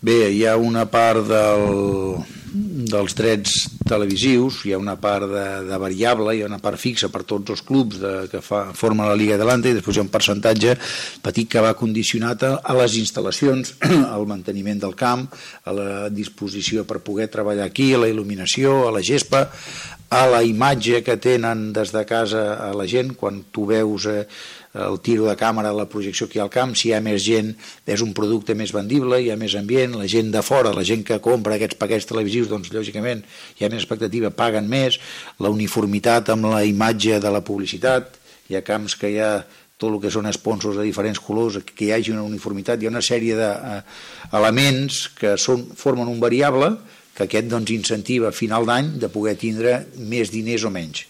Bé, hi ha una part dels drets televisius, hi ha una part de variable, hi ha una part fixa per tots els clubs que formen la Lliga Adelante, i després hi ha un percentatge petit que va condicionat a les instal·lacions, al manteniment del camp, a la disposició per poder treballar aquí, a la il·luminació, a la gespa, a la imatge que tenen des de casa a la gent. Quan tu veus el tiro de càmera, la projecció que hi ha al camp, si hi ha més gent és un producte més vendible, hi ha més ambient, la gent de fora, la gent que compra aquests paquets televisius, doncs lògicament hi ha més expectativa, paguen més, la uniformitat amb la imatge de la publicitat, hi ha camps que hi ha tot el que són sponsors de diferents colors, que hi hagi una uniformitat, hi ha una sèrie d'elements que formen un variable que aquest doncs incentiva a final d'any de poder tindre més diners o menys.